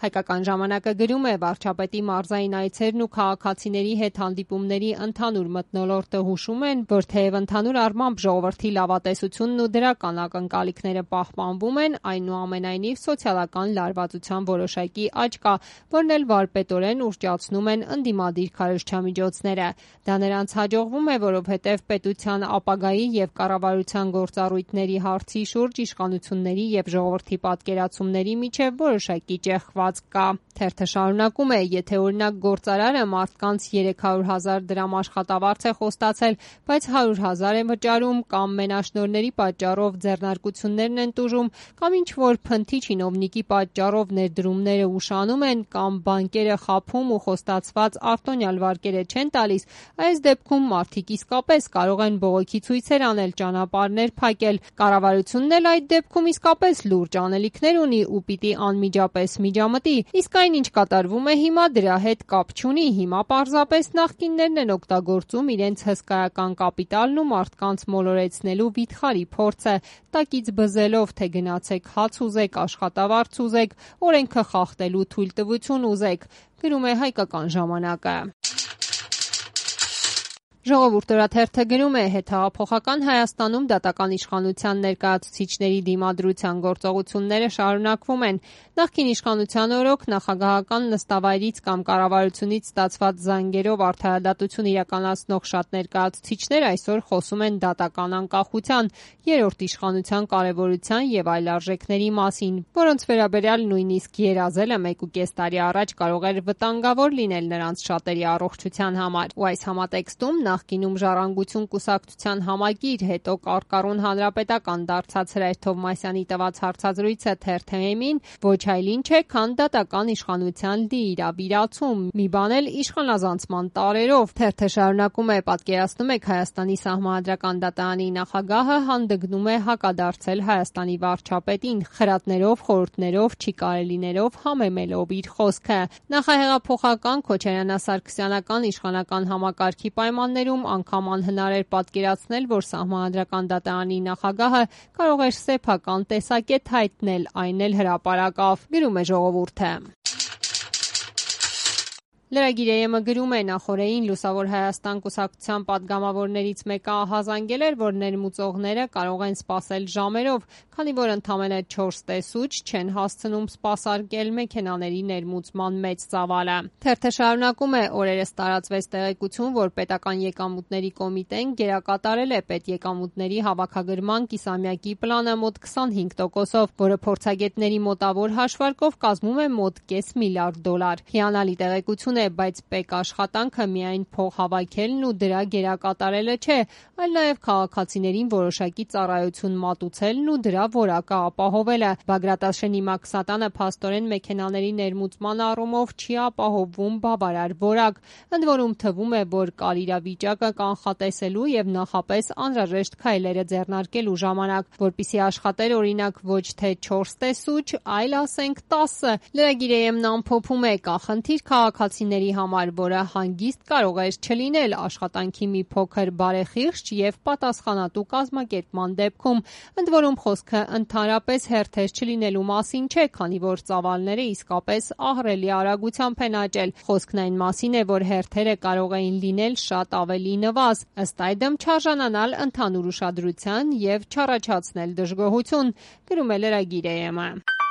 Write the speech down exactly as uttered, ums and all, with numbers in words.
Հայկական ժամանակը գրում է վարչապետի մարզային այցերն ու քաղաքացիների հետ հանդիպումների ընդհանուր մթնոլորտը հուշում են, որ թեև ընդհանուր առմամբ ժողովրդի լավատեսությունն ու դրական ակնկալիքները պահպանվում են, այնուամենայնիվ սոցիալական լարվածության որոշակի աճ կա, որն էլ վարպետորեն ուռճացնում են ընդդիմադիր քարոզչամիջոցները։ Դա նրանց հաջողվում է, որովհետև պետության ապագայի եւ կառավարության գործառույթների հարցի շուրջ իշխանությունների եւ ժողովրդի պատկերացումների միջև որոշակի ճեղքվածք կա։ Թերթը շարունակում է. եթե օրինակ գործարարը մարդկանց երեք հարյուր հազար դրամ աշխատավարձ է խոստացել, բայց հարյուր հազար է վճարում, կամ մենաշնորհների պատճառով ձեռնարկություններն են տուժում, կամ ինչ-որ փնթի չինովնիկի պատճառով ներդրումները ուշանում են, կամ բանկերը խաբում ու խոստացված արտոնյալ վարկերը չեն տալիս, այս դեպքում մարդիկ իսկապես կարող են բողոքի ցույցեր անել, ճանապարհներ փակել։ Կառավարությունն էլ այդ դեպքում իսկապես լուրջ անելիքներ ունի ու պիտի անմիջապես միջամտի, իսկ այն, ինչ կատարվում է հիմա, դրա հետ կապ չունի, հիմա պարզապես նախկիններն են օգտագործում իրենց հսկայական կապիտալն ու մարդկանց մոլորեցնելու վիթխարի փորձը, տակից բզելով, թե գնացեք հաց ուզեք, աշխատավարձ ուզեք, օրենքը խախտելու թույլտվություն ուզեք, գրում է Հայկական ժամանակը։ Ժողովուրդ օրաթերթը գրում է. հետհեղափոխական Հայաստանում դատական իշխանության ներկայացուցիչների դիմադրության գործողությունները շարունակվում են։ Նախկին իշխանության օրոք նախագահական նստավայրից կամ կառավարությունից ստացված զանգերով արդարադատություն իրականացնող շատ ներկայացուցիչներ այսօր խոսում են դատական անկախության, երրորդ իշխանության կարևորության եւ այլ արժեքների մասին, որոնց վերաբերյալ նույնիսկ երազելը մեկուկես տարի առաջ կարող էր վտանգավոր լինել նրանց շատերի առողջության համար։ Ու այս համատեքստում նախկինում Ժառանգություն կուսակցության համագիր, հետո Կարկառուն հանրապետական դարձած Հրայր Թովմասյանի տված հարցազրույցը թերթ-ին ոչ այլ ինչ է, քան դատական իշխանության դիիրավիրացում, մի բան էլ իշխանազանցման տարրերով։ Թերթը շարունակում է. պատկերացնում եք Հայաստանի Սահմանադրական դատարանի նախագահը հանդգնում է հակադարձել Հայաստանի վարչապետին, խրատներով, խորհուրդներով, չի կարելիներով, համեմելով իր խոսքը։ Նախահեղափոխական քոչարյանա-սարգսյանական իշխանական համակարգի պայմաններում անգամ անհնար էր պատկերացնել, որ Սահմանադրական դատարանի նախագահը կարող էր սեփական տեսակետ հայտնել, այն էլ հրապարակավ, գրում է Ժողովուրդը։ Lragir.am-ը գրում է. նախորդին Լուսավոր Հայաստան կուսակցության պատգամավորներից մեկը ահազանգել էր, որ ներմուծողները կարող են սպասել ժամերով, քանի որ ընդամենը չորս տեսուչ չեն հասցնում սպասարկել մեքենաների ներմուծման մեծ ծավալը։ Թերթը շարունակում է. օրերս տարածվեց տեղեկություն, որ պետական եկամուտների կոմիտեն գերակատարել է պետեկամուտների հավաքագրման կիսամյակի պլանը մոտ քսանհինգ տոկոսով, որը փորձագետների մոտավոր հաշվարկով կազմում է մոտ կես միլիարդ դոլար։ Հիանալի տեղեկություն է, բայց պետք աշխատանքը միայն փող հավաքելն ու դրա գերակատարելը չէ, այլ նաև քաղաքացիներին որոշակի ծառայություն մատուցելն ու դրա որակը ապահովելը։ Բագրատաշենի Մաքսատանը փաստորեն մեքենաների ներմուծման առումով չի ապահովում բավարար որակ, ընդ որում թվում է, որ կար իրավիճակը կանխատեսելու եւ նախապես անհրաժեշտ քայլերը ձեռնարկելու ժամանակ, որպիսի աշխատեր օրինակ ոչ թե չորս տեսուչ, այլ ասենք տասը։ Lragir.am-ն ամփոփում է. կա խնդիր քաղաքացիների համար, որը հանգիստ կարող էր չլինել աշխատանքի մի փոքր բարեխիղճ եւ պատասխանատու կազմակերպման դեպքում, ընդ որում խոսքը ընդհանրապես հերթեր չլինելու մասին չէ, քանի որ ծավալները իսկապես ահռելի արագությամբ են աճել։ Խոսքն այն մասին է, որ հերթերը կարող էին լինել շատ ավելի նվազ, ըստ այդմ չարժանանալ ընդհանուր ուշադրության եւ չառաջացնել դժգոհություն, գրում է Lragir.am-ը։